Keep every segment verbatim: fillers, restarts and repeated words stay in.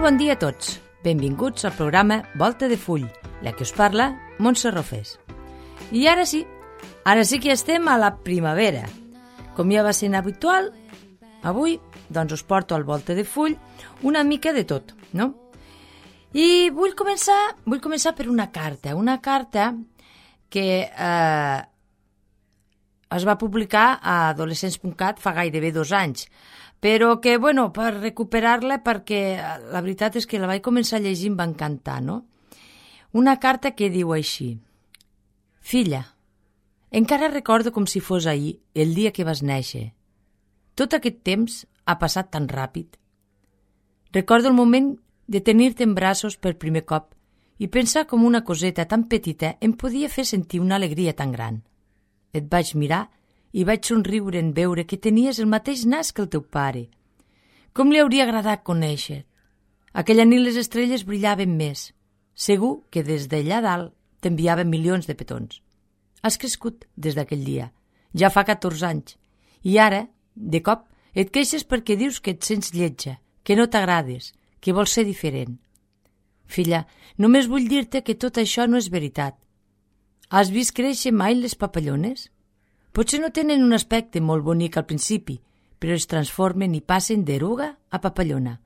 bon dia a tots. Benvinguts al programa Volta de Full, la que us parla, Montse Rofés. I ara sí, ara sí que estem a la primavera. Com ja va sent habitual, avui doncs us porto al Volta de Full una mica de tot, no? I vull començar, vull començar per una carta, una carta que eh, es va publicar a adolescents punt cat fa gairebé dos anys, però que, bueno, per recuperar-la, perquè la veritat és que la vaig començar a llegir i em va encantar, no? Una carta que diu així: Filla, encara recordo com si fos ahir, el dia que vas néixer. Tot aquest temps ha passat tan ràpid. Recordo el moment de tenir-te en braços per primer cop i pensar com una coseta tan petita em podia fer sentir una alegria tan gran. Et vaig mirar i vaig somriure en veure que tenies el mateix nas que el teu pare. Com li hauria agradat conèixer? Aquella nit les estrelles brillaven més. Segur que des d'allà dalt t'enviaven milions de petons. Has crescut des d'aquell dia. Ja fa catorze anys. I ara, de cop, et queixes perquè dius que et sents lletja, que no t'agrades, que vols ser diferent. Filla, només vull dir-te que tot això no és veritat. Has vist créixer mai les papallones? Potser no tenen un aspecte molt bonic al principi, però es transformen i passen d'eruga a papallona.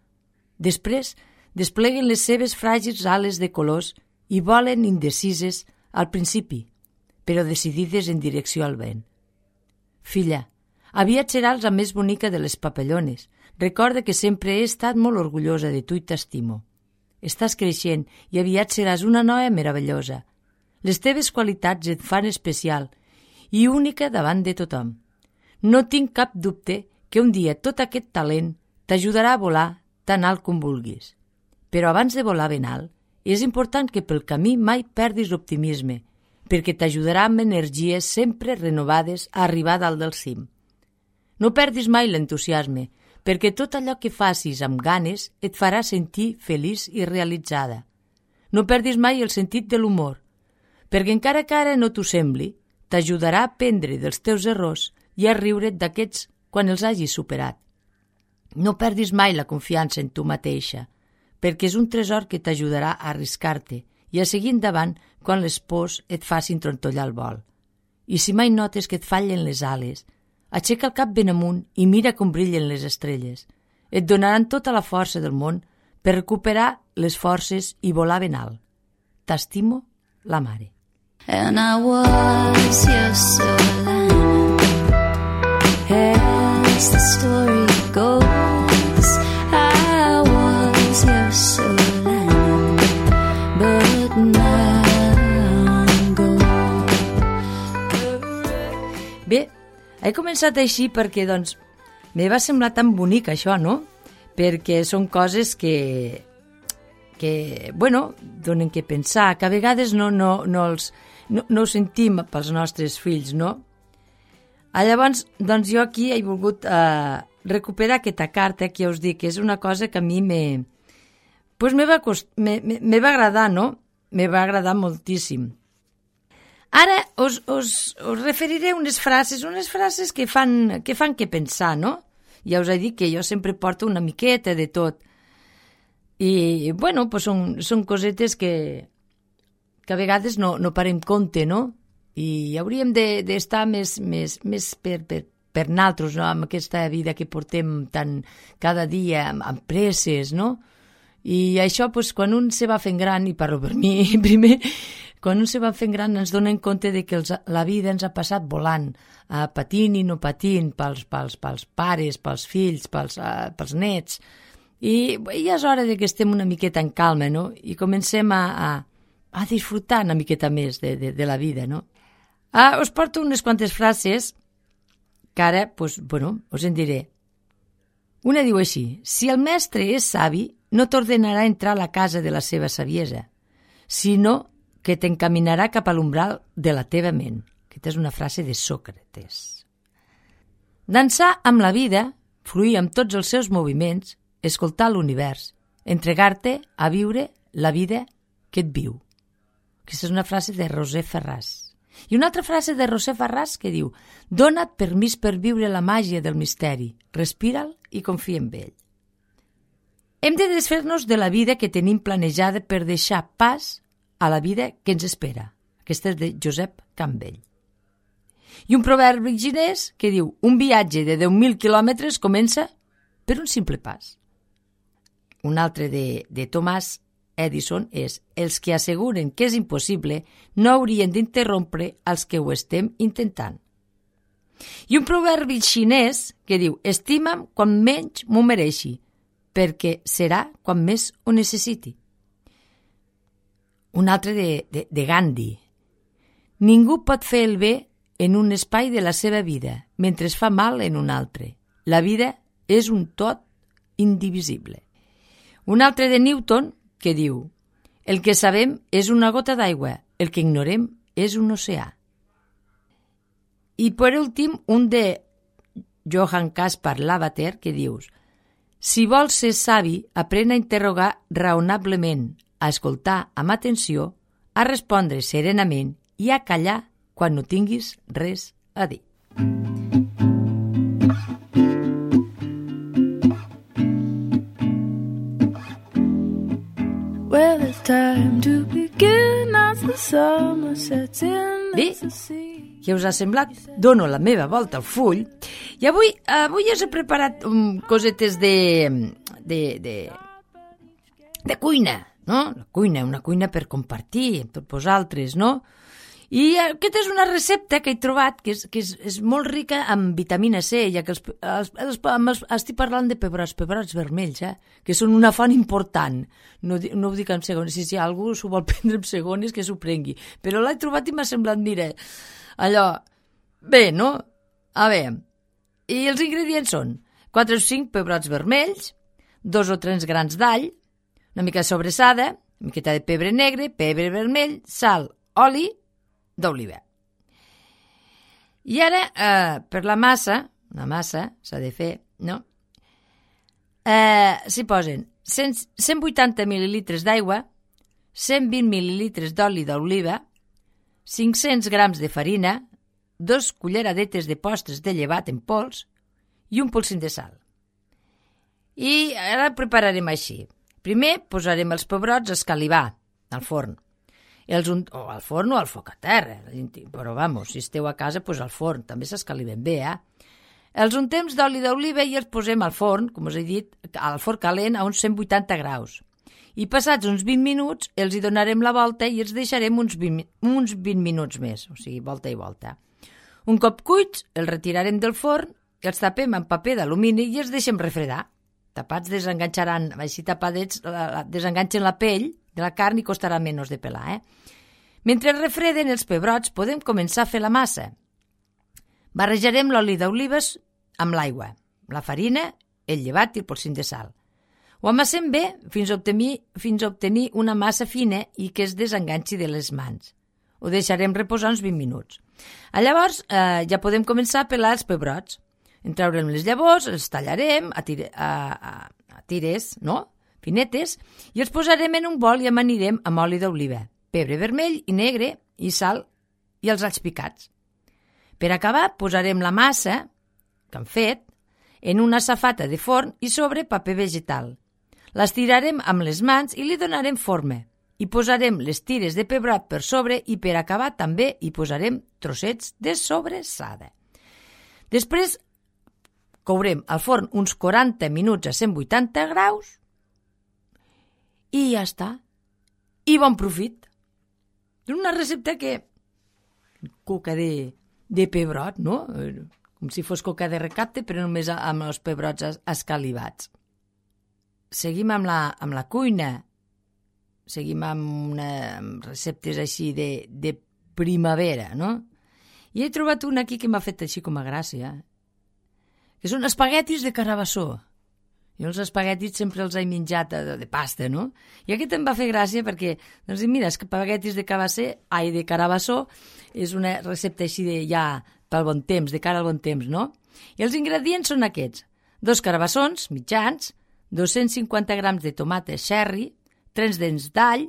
Després despleguen les seves fràgils ales de colors i volen indecises al principi, però decidides en direcció al vent. Filla, aviat seràs la més bonica de les papallones. Recorda que sempre he estat molt orgullosa de tu i t'estimo. Estàs creixent i aviat seràs una noia meravellosa. Les teves qualitats et fan especial i única davant de tothom. No tinc cap dubte que un dia tot aquest talent t'ajudarà a volar tan alt com vulguis. Però abans de volar ben alt, és important que pel camí mai perdis l'optimisme, perquè t'ajudarà amb energies sempre renovades a arribar dalt del cim. No perdis mai l'entusiasme, perquè tot allò que facis amb ganes et farà sentir feliç i realitzada. No perdis mai el sentit de l'humor, perquè encara que ara no t'ho sembli, t'ajudarà a aprendre dels teus errors i a riure't d'aquests quan els hagis superat. No perdis mai la confiança en tu mateixa, perquè és un tresor que t'ajudarà a arriscar-te i a seguir endavant quan les pors et facin trontollar el vol. I si mai notes que et fallen les ales, aixeca el cap ben amunt i mira com brillen les estrelles. Et donaran tota la força del món per recuperar les forces i volar ben alt. T'estimo, la mare. And I was your Solana, as the story goes. I was your Solana, but now I'm gone. Bé, he començat així perquè, doncs, me va semblar tan bonic això, no? Perquè són coses que, que bueno, donen que pensar, que a vegades no, no, no els... No, no ho sentim pels nostres fills, no? Ah, llavors, doncs jo aquí he volgut eh, recuperar aquesta carta que ja us dic, que és una cosa que a mi me, pues me, va cost, me, me, me va agradar, no? Me va agradar moltíssim. Ara us, us, us referiré unes frases, unes frases que fan, que fan que pensar, no? Ja us he dit que jo sempre porto una miqueta de tot. I, bueno, pues són, són cosetes que... que a vegades no, no parem compte, no? I hauríem d'estar de, més, més, més per, per, per naltros, no? Amb aquesta vida que portem tan cada dia, amb, amb presses, no? I això, pues, quan un se va fent gran, i parlo per mi primer, quan un se va fent gran ens donem compte de que els, la vida ens ha passat volant, uh, patint i no patint, pels, pels, pels pares, pels fills, pels, uh, pels nets. I ja és hora de que estem una miqueta en calma, no? I comencem a... a a disfrutar una miqueta més de, de, de la vida, no? Ah, us porto unes quantes frases que ara, pues, bueno, us en diré. Una diu així: si el mestre és savi, no t'ordenarà entrar a la casa de la seva saviesa, sinó que t'encaminarà cap a l'umbral de la teva ment. Aquesta és una frase de Sòcrates. Dansar amb la vida, fluir amb tots els seus moviments, escoltar l'univers, entregar-te a viure la vida que et viu. Aquesta és una frase de José Ferràs. I una altra frase de José Ferràs que diu: dona't permís per viure la màgia del misteri, respira'l i confia en ell. Hem de desfer-nos de la vida que tenim planejada per deixar pas a la vida que ens espera. Aquesta és de Josep Campbell. I un proverbi xinès que diu: un viatge de deu mil quilòmetres comença per un simple pas. Un altre de, de Thomas Edison és: els que asseguren que és impossible no haurien d'interrompre els que ho estem intentant. I un proverbi xinès que diu: estima'm quan menys m'ho mereixi, perquè serà quan més ho necessiti. Un altre de, de, de Gandhi: ningú pot fer el bé en un espai de la seva vida mentre es fa mal en un altre. La vida és un tot indivisible. Un altre de Newton que diu: el que sabem és una gota d'aigua, el que ignorem és un oceà. I per últim, un de Johann Caspar Lavater que dius: si vols ser savi, aprèn a interrogar raonablement, a escoltar amb atenció, a respondre serenament i a callar quan no tinguis res a dir. Well, it's time to begin as the summer sets in. Bé, què us ha semblat? Dono la meva volta al full i avui, avui us he preparat um, cosetes de, de, de, de cuina, no? La cuina, una cuina per compartir amb tots vosaltres, no? I aquesta és una recepta que he trobat que és, que és, és molt rica en vitamina C, ja que els, els, els, els, estic parlant de pebrots, pebrots vermells, eh? Que són una font important. No, no ho dic en segons, si, si algú s'ho vol prendre en segons, que s'ho prengui. Però l'he trobat i m'ha semblat, mira, allò, bé, no? A veure, i els ingredients són quatre o cinc pebrots vermells, dos o tres grans d'all, una mica de sobressada, una miqueta de pebre negre, pebre vermell, sal, oli, d'oliva. I ara, eh, per la massa, la massa s'ha de fer, no? Eh, s'hi posen cent, cent vuitanta mil·lilitres d'aigua, cent vint mil·lilitres d'oli d'oliva, cinc-cents grams de farina, dos culleradetes de postres de llevat en pols i un polsim de sal. I ara prepararem així. Primer posarem els pebrots a escalivar al forn. Els un... o al forn o al foc a terra, però vamos, si esteu a casa, pues al forn, també s'escaliven bé, eh? Els untem d'oli d'oliva i els posem al forn, com us he dit, al forn calent a uns cent vuitanta graus. I passats uns vint minuts els hi donarem la volta i els deixarem uns vint, uns vint minuts més, o sigui, volta i volta. Un cop cuits, els retirarem del forn, els tapem amb paper d'alumini i els deixem refredar. Tapats desenganxaran, així tapadets, desenganxen la pell de la carn i costarà menys de pelar, eh? Mentre refreden els pebrots, podem començar a fer la massa. Barrejarem l'oli d'olives amb l'aigua, la farina, el llevat i el polsim de sal. Ho amassem bé fins a obtenir, fins a obtenir una massa fina i que es desenganxi de les mans. Ho deixarem reposar uns vint minuts. Llavors eh, ja podem començar a pelar els pebrots. En traurem les llavors, els tallarem a, tire, a, a, a tires, no?, finetes, i els posarem en un bol i amanirem amb oli d'oliva, pebre vermell i negre i sal i els alls picats. Per acabar, posarem la massa que hem fet en una safata de forn i sobre paper vegetal. L'estirarem amb les mans i li donarem forma. Hi posarem les tires de pebrot per sobre i per acabar també hi posarem trossets de sobressada. Després courem al forn uns quaranta minuts a cent vuitanta graus i ja està. I bon profit. És una recepta que... coca de, de pebrot, no? Com si fos coca de recapte, però només amb els pebrots escalivats. Seguim amb la, amb la cuina. Seguim amb, una, amb receptes així de, de primavera, no? I he trobat una aquí que m'ha fet així com a gràcia, que són espaguetis de carabassó. Jo els espaguetis sempre els he menjat de, de pasta, no? I aquest em va fer gràcia perquè, doncs, mira, espaguetis de cabasser, ai, de carabassó, és una recepta així de ja pel bon temps, de cara al bon temps, no? I els ingredients són aquests: dos carabassons mitjans, dos-cents cinquanta grams de tomates cherry, tres dents d'all,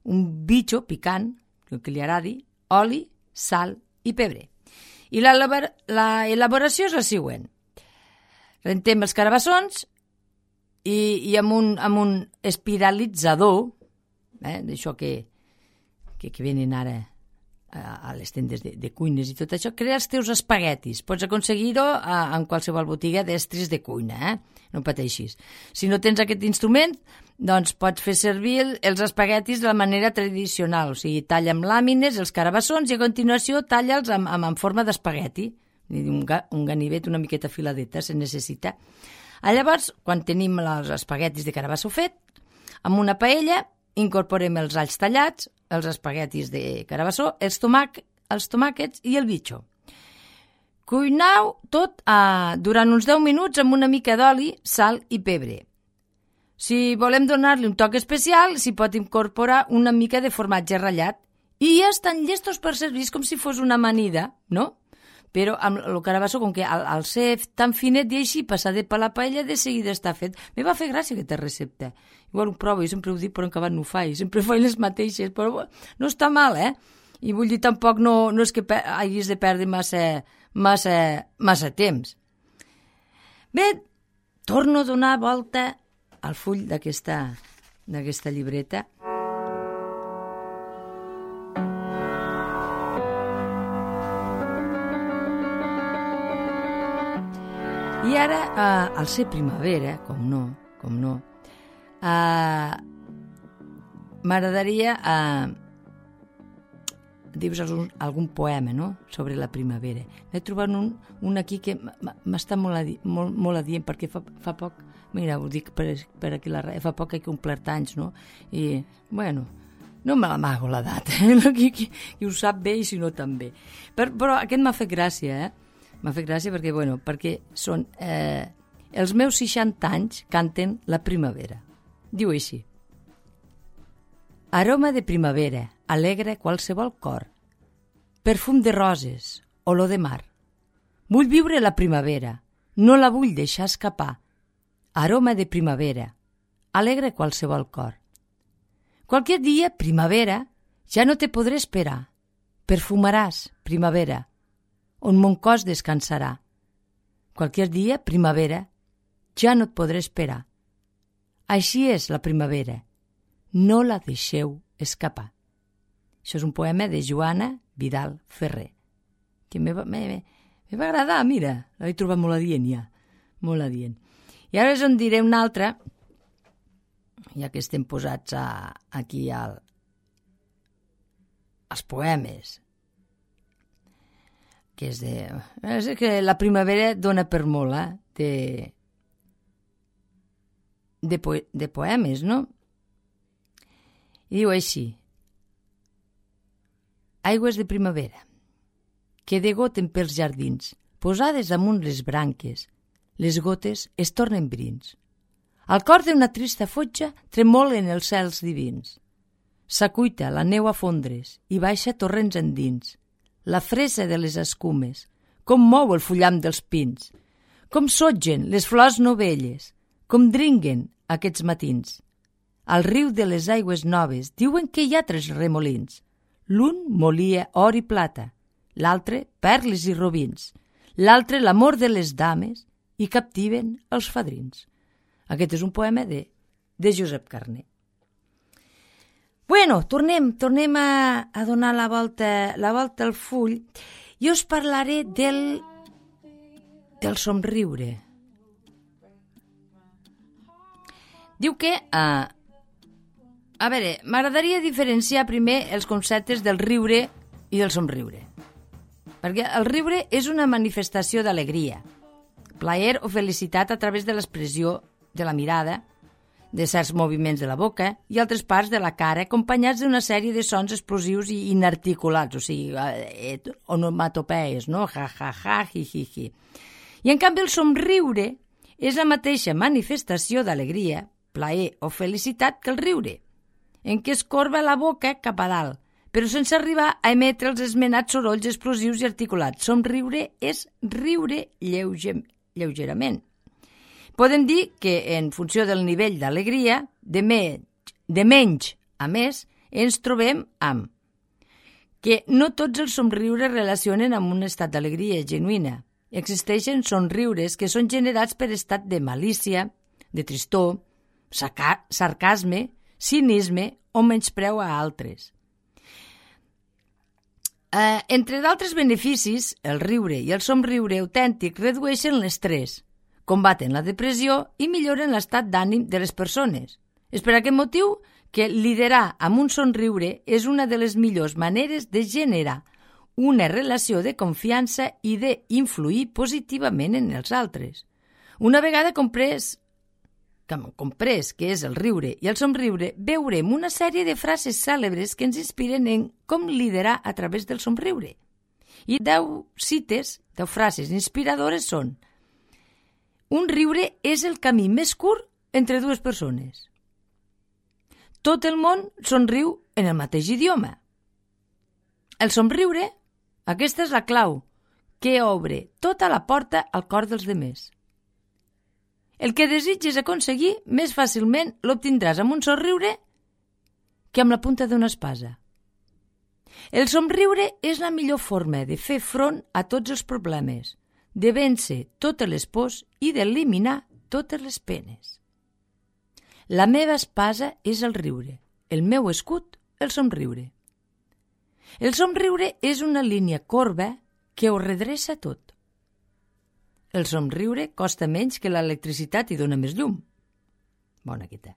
un bitxo picant, el que li agradi, oli, sal i pebre. I l'elaboració és la següent. Rentem els carabassons, i, i amb, un, amb un espiralitzador, eh, d'això que, que, que venen ara a, a les tendes de, de cuines i tot això, crea els teus espaguetis. Pots aconseguir-ho en qualsevol botiga d'estris de cuina, eh? No pateixis. Si no tens aquest instrument, doncs pots fer servir els espaguetis de la manera tradicional, o sigui, talla amb làmines els carabassons i a continuació talla'ls amb, amb, en forma d'espagueti, un, un ganivet una miqueta filadeta se necessita. Llavors, quan tenim els espaguetis de carabasso fet, amb una paella incorporem els alls tallats, els espaguetis de carabassó, els, tomac, els tomàquets i el bitxo. Cuinau tot eh, durant uns deu minuts amb una mica d'oli, sal i pebre. Si volem donar-li un toc especial, s'hi pot incorporar una mica de formatge ratllat i ja estan llestos per servir com si fos una amanida, no? Però amb el carabasso, com que al, al ser tan finet i així passadet per la paella, de seguida està fet. Me va fer gràcia aquesta recepta. Igual ho provo, jo sempre ho dic, però en acabat no ho faig. Sempre faig les mateixes, però no està mal, eh? I vull dir, tampoc no, no és que pe- hagis de perdre massa, massa, massa temps. Bé, torno a donar volta al full d'aquesta, d'aquesta llibreta. I ara, eh, al ser primavera, com no, com no, eh, m'agradaria eh, dir-vos algun, algun poema, no?, sobre la primavera. N'he trobat un, un aquí que m'està molt, adi, molt, molt adient, perquè fa, fa poc, mira, ho dic per, per aquí la ràdio, fa poc que he complert anys, no?, i, bueno, no me l'amago l'edat, eh? qui, qui, qui ho sap bé i si no també. Per, però aquest m'ha fet gràcia, eh? M'ha fet gràcia perquè, bueno, perquè són... Eh, els meus seixanta anys canten la primavera. Diu així. Aroma de primavera, alegre qualsevol cor. Perfum de roses, olor de mar. Vull viure la primavera, no la vull deixar escapar. Aroma de primavera, alegre qualsevol cor. Qualque dia, primavera, ja no te podré esperar. Perfumaràs, primavera, on mon cos descansarà. Qualque dia, primavera, ja no et podré esperar. Així és la primavera. No la deixeu escapar. Això és un poema de Joana Vidal Ferrer, que me va, me, me va agradar, mira, l'he trobat molt adient ja, molt adient. I ara us en diré una altra, ja que estem posats a, aquí al, als poemes, que és de... És que la primavera dona per molt, eh? De, de, po, de poemes, no? I diu així. Aigües de primavera, que degoten pels jardins, posades amunt les branques, les gotes es tornen brins. Al cor d'una trista fotja tremolen els cels divins. S'acuita la neu a fondres i baixa torrents endins. La fresa de les escumes, com mou el fullam dels pins, com sotgen les flors novelles, com dringuen aquests matins. Al riu de les aigües noves diuen que hi ha tres remolins. L'un molia or i plata, l'altre perles i robins, l'altre l'amor de les dames i captiven els fadrins. Aquest és un poema de, de Josep Carner. Bueno, tornem, tornem a, a donar la volta, la volta al full i us parlaré del, del somriure. Diu que, uh, a veure, m'agradaria diferenciar primer els conceptes del riure i del somriure. Perquè el riure és una manifestació d'alegria, plaer o felicitat a través de l'expressió de la mirada, de certs moviments de la boca i altres parts de la cara, acompanyats d'una sèrie de sons explosius i inarticulats, o sigui, eh, onomatopees, no? Ja, ja, ja, hi, hi, hi. I en canvi el somriure és la mateixa manifestació d'alegria, plaer o felicitat que el riure, en què es corba la boca cap a dalt, però sense arribar a emetre els esmenats sorolls explosius i articulats. Somriure és riure lleuger, lleugerament. Podem dir que, en funció del nivell d'alegria, de, me, de menys a més, ens trobem amb que no tots els somriures relacionen amb un estat d'alegria genuïna. Existeixen somriures que són generats per estat de malícia, de tristor, saca- sarcasme, cinisme o menyspreu a altres. Eh, entre d'altres beneficis, el riure i el somriure autèntic redueixen l'estrès, combaten la depressió i milloren l'estat d'ànim de les persones. És per aquest motiu que liderar amb un somriure és una de les millors maneres de generar una relació de confiança i d'influir positivament en els altres. Una vegada comprès, comprès què és el riure i el somriure, veurem una sèrie de frases cèlebres que ens inspiren en com liderar a través del somriure. I deu cites, deu frases inspiradores són: un riure és el camí més curt entre dues persones. Tot el món somriu en el mateix idioma. El somriure, aquesta és la clau, que obre tota la porta al cor dels demés. El que desitges aconseguir, més fàcilment l'obtindràs amb un somriure que amb la punta d'una espasa. El somriure és la millor forma de fer front a tots els problemes, de vèncer totes les pors i d'eliminar totes les penes. La meva espasa és el riure, el meu escut, el somriure. El somriure és una línia corba que ho redreça tot. El somriure costa menys que l'electricitat i dona més llum. Bona aquesta.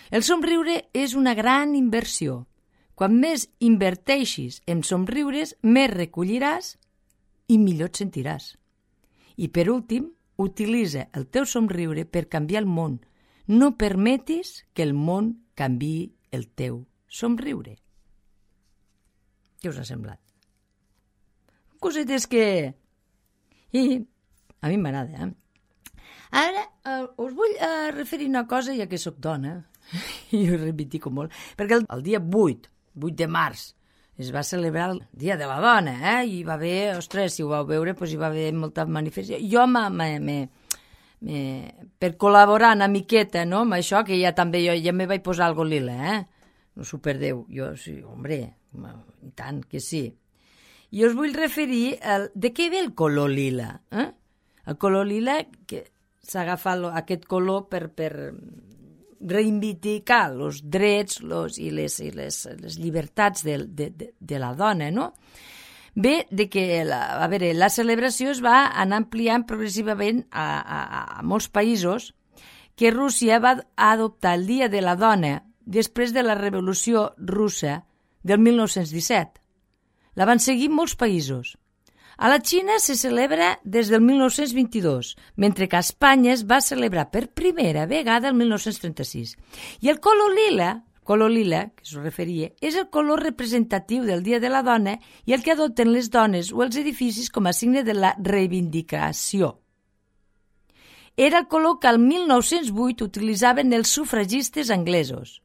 El somriure és una gran inversió. Quan més inverteixis en somriures, més recolliràs i millor et sentiràs. I per últim, utilitza el teu somriure per canviar el món. No permetis que el món canviï el teu somriure. Què us ha semblat? Cosetes que... I a mi m'agrada, eh? Ara eh, us vull eh, referir una cosa, ja que sóc dona, i ho reivindico molt, perquè el, el dia vuit, vuit de març, es va celebrar el Dia de la Dona, eh? I hi va haver, ostres, si ho vau veure, doncs hi va haver molta manifestació. Jo me, me, me, me, per col·laborar una miqueta, no?, amb això, que ja també jo ja me vaig posar algo lila, eh? No s'ho perdeu. Jo, sí, hombre, i tant que sí. I us vull referir al, de què ve el color lila, eh? El color lila, que s'agafa aquest color per, per reivindicar els drets los, i, les, i les, les llibertats de, de, de, de la dona, no? Ve de que la, a veure, la celebració es va anar ampliant progressivament a, a, a molts països, que Rússia va adoptar el Dia de la Dona després de la Revolució Russa del mil nou-cents disset. La van seguir molts països. A la Xina se celebra des del mil nou-cents vint-i-dos, mentre que a Espanya es va celebrar per primera vegada el mil nou-cents trenta-sis. I el color lila, color lila, que s'ho referia, és el color representatiu del Dia de la Dona i el que adopten les dones o els edificis com a signe de la reivindicació. Era el color que al mil nou-cents vuit utilitzaven els sufragistes anglesos.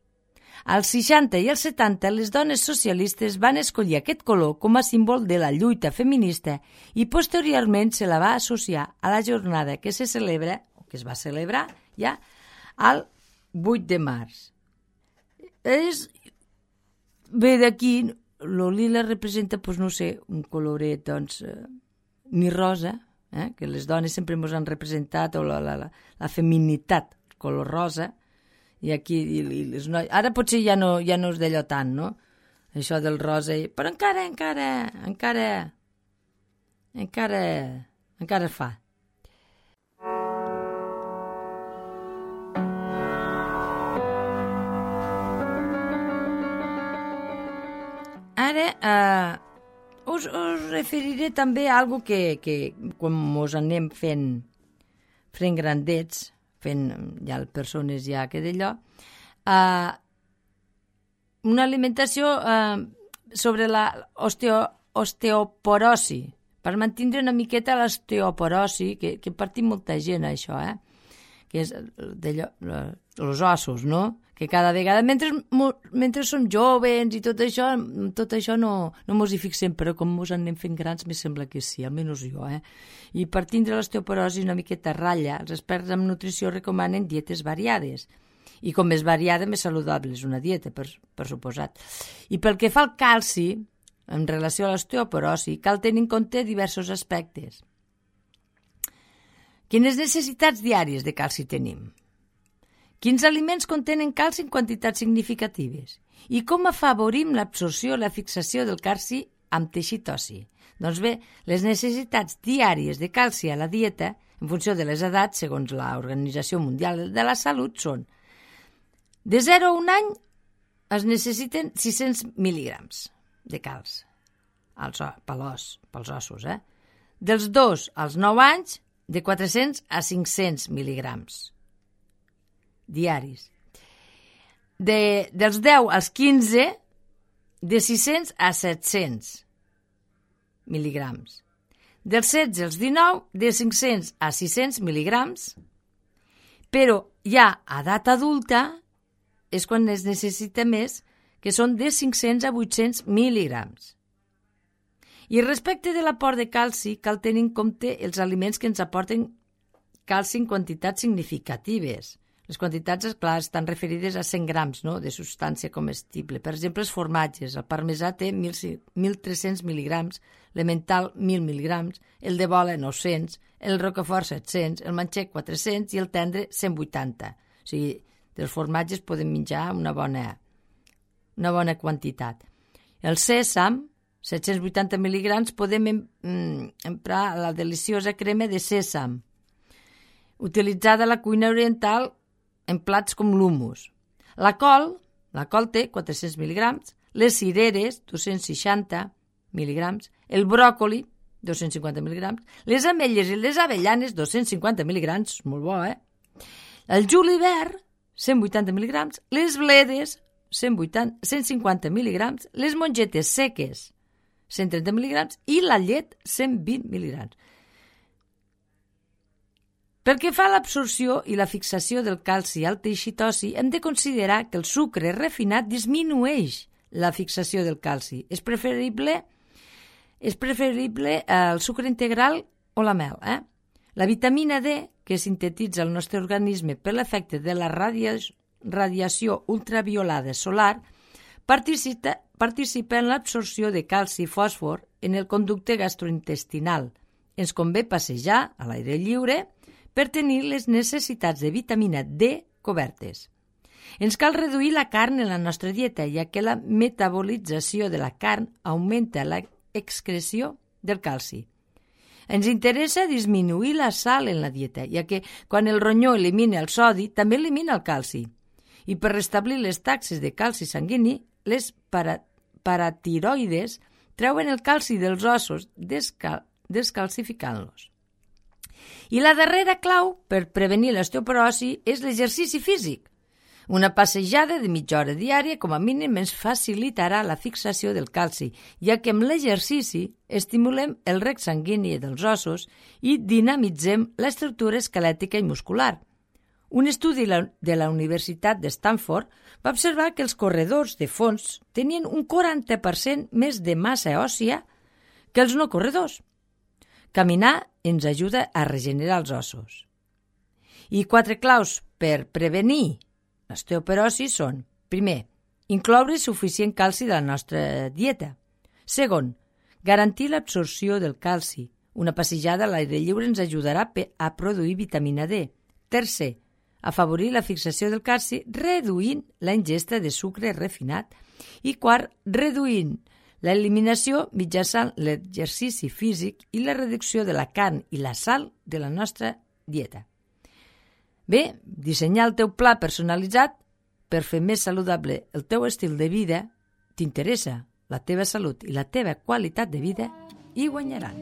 Als seixanta i als setanta, les dones socialistes van escollir aquest color com a símbol de la lluita feminista i posteriorment se la va associar a la jornada que se celebra, o que es va celebrar ja, al vuit de març. És, ve d'aquí, el lila representa, doncs no sé, un coloret, doncs, eh, ni rosa, eh, que les dones sempre ens han representat, o la, la, la, la feminitat, color rosa, i aquí, i, i les noies... Ara potser ja no, ja no és d'allò tant, no? Això del rosa, i... però encara, encara, encara, encara, encara es fa. Ara eh, us, us referiré també a algo que, que quan mos anem fent, fent grandets, fent ja persones ja que d'allò, uh, una alimentació uh, sobre la osteo, osteoporosi, per mantenir una miqueta l'osteoporosi, que, que partim molta gent això, eh? Que és d'allò, els ossos, no? Que cada vegada, mentre, mentre som joves i tot això, tot això no, no mos hi fixem, però com mos anem fent grans, me sembla que sí, almenys jo, eh? I per tindre l'osteoporosi una miqueta ratlla, els experts en nutrició recomanen dietes variades. I com més variada, més saludable és una dieta, per, per suposat. I pel que fa al calci, en relació a l'osteoporosi, cal tenir en compte diversos aspectes. Quines necessitats diàries de calci tenim? Quins aliments contenen calci en quantitats significatives? I com afavorim l'absorció i la fixació del calci amb teixit ossi? Doncs bé, les necessitats diàries de calci a la dieta, en funció de les edats, segons l'Organització Mundial de la Salut, són de zero a un any es necessiten sis-cents mil·ligrams de calç als, pels, pels ossos. Eh? Dels dos als nou anys, de quatre-cents a cinc-cents mil·ligrams diaris. De, dels deu als quinze, de sis-cents a set-cents mil·ligrams. Dels setze als dinou, de cinc-cents a sis-cents mil·ligrams, però ja a edat adulta és quan es necessita més, que són de cinc-cents a vuit-cents mil·ligrams. I respecte de l'aport de calci, cal tenir en compte els aliments que ens aporten calci en quantitats significatives. Les quantitats, clar, estan referides a cent grams, no?, de substància comestible. Per exemple, els formatges. El parmesà té mil tres-cents mil·ligrams, l'emmental mil mil·ligrams, el de bola nou-cents, el roquefort set-cents, el manxec quatre-cents i el tendre cent vuitanta. O sigui, dels formatges podem menjar una bona, una bona quantitat. El sèsam, set-cents vuitanta mil·ligrams, podem emprar la deliciosa crema de sèsam, utilitzada a la cuina oriental en plats com l'humus. La col, la col té quatre-cents mil·ligrams, les cireres, dos-cents seixanta mil·ligrams, el bròcoli, dos-cents cinquanta mil·ligrams, les ametlles i les avellanes, dos-cents cinquanta mil·ligrams, molt bo, eh? El julivert, cent vuitanta mil·ligrams, les bledes, cent vuitanta, cent cinquanta mil·ligrams, les mongetes seques, cent trenta mil·ligrams, i la llet, cent vint mil·ligrams. Pel que fa a l'absorció i la fixació del calci al teixit ossi, hem de considerar que el sucre refinat disminueix la fixació del calci. És preferible, és preferible el sucre integral o la mel. Eh? La vitamina D, que sintetitza el nostre organisme per l'efecte de la radia, radiació ultraviolada solar, participa, participa en l'absorció de calci i fòsfor en el conducte gastrointestinal. Ens convé passejar a l'aire lliure per tenir les necessitats de vitamina D cobertes. Ens cal reduir la carn en la nostra dieta, ja que la metabolització de la carn augmenta l'excreció del calci. Ens interessa disminuir la sal en la dieta, ja que quan el ronyó elimina el sodi, també elimina el calci. I per restablir les taxes de calci sanguini, les para, paratiroides treuen el calci dels ossos descal, descalcificant-los. I la darrera clau per prevenir l'osteoporosi és l'exercici físic. Una passejada de mitja hora diària com a mínim ens facilitarà la fixació del calci, ja que amb l'exercici estimulem el reg sanguini dels ossos i dinamitzem l'estructura esquelètica i muscular. Un estudi de la Universitat de Stanford va observar que els corredors de fons tenien un quaranta per cent més de massa òssia que els no corredors. Caminar ens ajuda a regenerar els ossos. I quatre claus per prevenir l'osteoporosi són: primer, incloure suficient calci de la nostra dieta. Segon, garantir l'absorció del calci. Una passejada a l'aire lliure ens ajudarà a produir vitamina D. Tercer, afavorir la fixació del calci reduint la ingesta de sucre refinat. I quart, reduint l'eliminació mitjançant l'exercici físic i la reducció de la carn i la sal de la nostra dieta. Bé, dissenyar el teu pla personalitzat per fer més saludable el teu estil de vida t'interessa. La teva salut i la teva qualitat de vida hi guanyaran.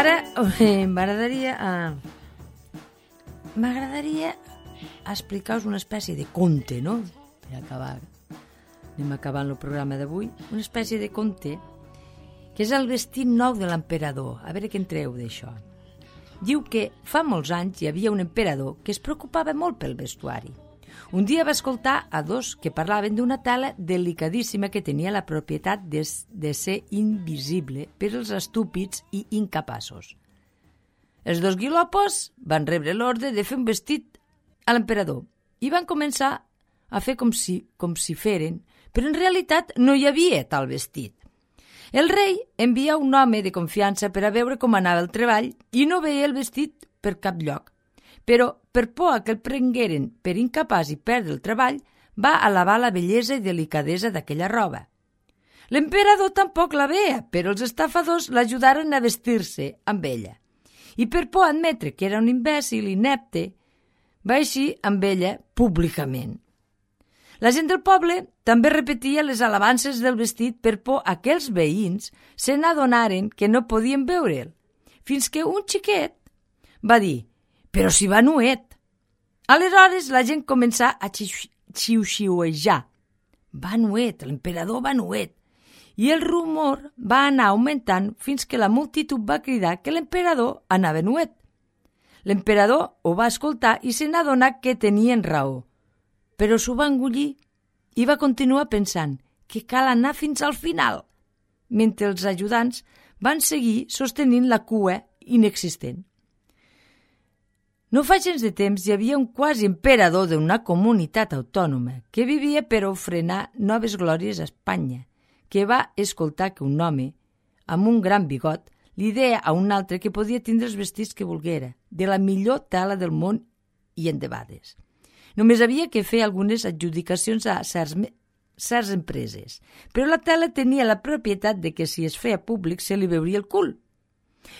Ara eh, m'agradaria eh, m'agradaria explicar-vos una espècie de conte, no? Per acabar, anem acabant el programa d'avui. Una espècie de conte que és el vestit nou de l'emperador. A veure què en treu d'això. Diu que fa molts anys hi havia un emperador que es preocupava molt pel vestuari. Un dia va escoltar a dos que parlaven d'una tela delicadíssima que tenia la propietat de, de ser invisible per als estúpids i incapaços. Els dos guilopos van rebre l'ordre de fer un vestit a l'emperador i van començar a fer com si, com si feren, però en realitat no hi havia tal vestit. El rei envia un home de confiança per a veure com anava el treball i no veia el vestit per cap lloc. Però, per por a que el prengueren per incapaç i perdre el treball, va alabar la bellesa i delicadesa d'aquella roba. L'emperador tampoc la veia, però els estafadors l'ajudaren a vestir-se amb ella. I per por a admetre que era un imbècil inepte, va eixir amb ella públicament. La gent del poble també repetia les alabances del vestit per por a que els veïns se n'adonaren que no podien veure'l, fins que un xiquet va dir «Però si va nuet!». Aleshores la gent començà a xiu-xiuejar. Va nuet, l'emperador va nuet. I el rumor va anar augmentant fins que la multitud va cridar que l'emperador anava nuet. L'emperador ho va escoltar i se n'adonà que tenien raó, però s'ho va engullir i va continuar pensant que cal anar fins al final, mentre els ajudants van seguir sostenint la cua inexistent. No fa gens de temps hi havia un quasi emperador d'una comunitat autònoma que vivia per ofrenar noves glòries a Espanya, que va escoltar que un home, amb un gran bigot, li deia a un altre que podia tindre els vestits que volguera, de la millor tela del món i endebades. Només havia que fer algunes adjudicacions a certs, certs empreses, però la tela tenia la propietat de que si es feia públic se li veuria el cul.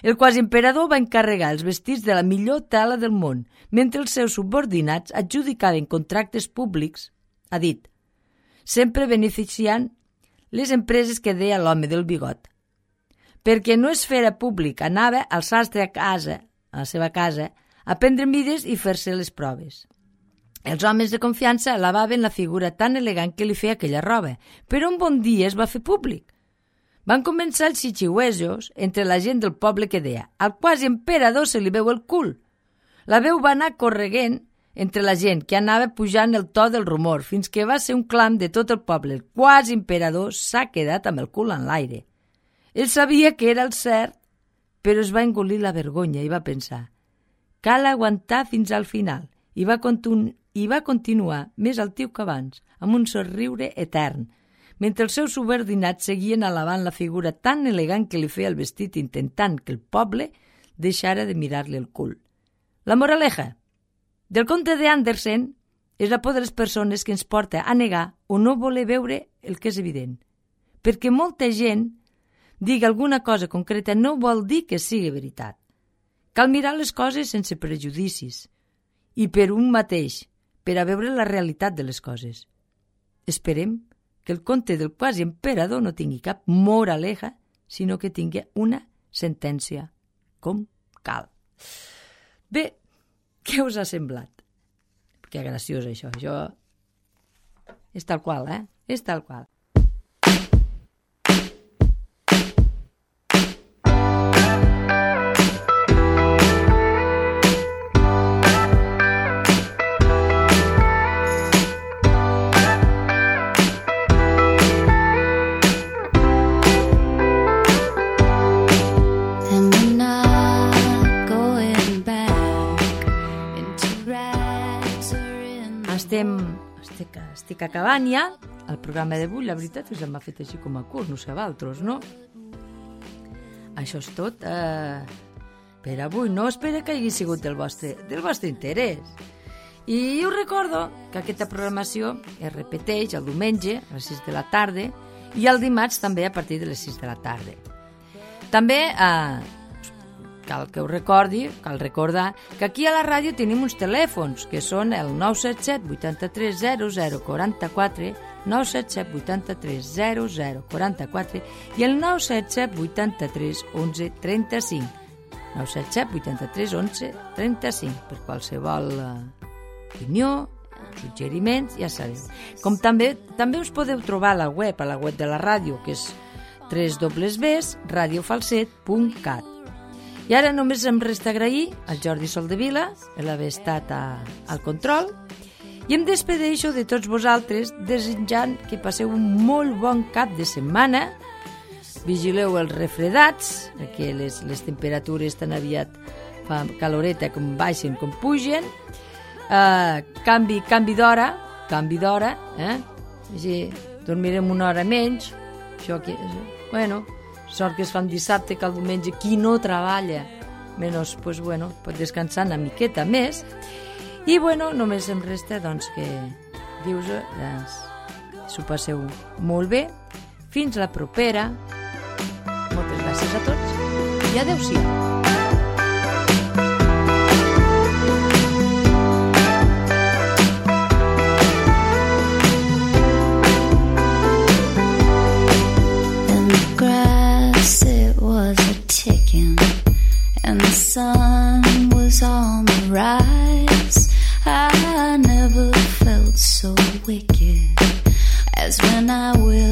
El quasi emperador va encarregar els vestits de la millor tela del món, mentre els seus subordinats adjudicaven contractes públics, ha dit, sempre beneficiant les empreses que deia l'home del bigot. Perquè no es fera públic, anava al sastre a casa, a la seva casa, a prendre mides i fer-se les proves. Els homes de confiança alabaven la figura tan elegant que li feia aquella roba, però un bon dia es va fer públic. Van començar els xixiuejos entre la gent del poble que deia «Al quasi emperador se li veu el cul». La veu va anar correguent entre la gent que anava pujant el to del rumor fins que va ser un clam de tot el poble. El quasi emperador s'ha quedat amb el cul en l'aire. Ell sabia que era el cert, però es va engolir la vergonya i va pensar «Cal aguantar fins al final» i va, continu i va continuar més altiu que abans, amb un somriure etern, mentre els seus subordinats seguien alabant la figura tan elegant que li feia el vestit intentant que el poble deixara de mirar-li el cul. La moraleja del conte de Andersen és la por de les persones que ens porta a negar o no voler veure el que és evident. Perquè molta gent digui alguna cosa concreta no vol dir que sigui veritat. Cal mirar les coses sense prejudicis i per un mateix, per a veure la realitat de les coses. Esperem que el conte del quasi emperador no tingui cap moraleja, sinó que tingui una sentència, com cal. Bé, què us ha semblat? Que graciós això, això és tal qual, eh? És tal qual. Estem, estic, estic acabant ja el programa d'avui. La veritat és que m'ha fet així com a curt, no sé vosaltres, no? Això és tot eh, per avui. No espero que hagi sigut del vostre, del vostre interès. I us recordo que aquesta programació es repeteix el diumenge a les sis de la tarda i el dimarts també a partir de les sis de la tarda. També eh, cal que us recordi, cal recordar que aquí a la ràdio tenim uns telèfons que són el nou set set vuitanta-tres zero zero quaranta-quatre, nou set set vuitanta-tres zero zero quaranta-quatre i el nou set set vuitanta-tres onze trenta-cinc. nou set set vuitanta-tres onze trenta-cinc per qualsevol uh, opinió, suggeriments, ja sabeu. Com també també us podeu trobar a la web, a la web de la ràdio, que és w w w punt radio falset punt cat. I ara només em resta agrair al Jordi Soldevila l'haver estat a, al control i em despedeixo de tots vosaltres desitjant que passeu un molt bon cap de setmana. Vigileu els refredats, perquè les, les temperatures tan aviat fa caloreta, com baixen, com pugen, eh, canvi, canvi d'hora, canvi d'hora, eh? Així, dormirem una hora menys, això que, bueno, sort que es fa un dissabte, que el diumenge qui no treballa, menys, pues, bueno, pot descansar una miqueta més, i, bueno, només em resta, doncs, que dius-ho, doncs, s'ho passeu molt bé, fins la propera, moltes gràcies a tots, i adeu-siau. And the sun was on the rise. I never felt so wicked as when I will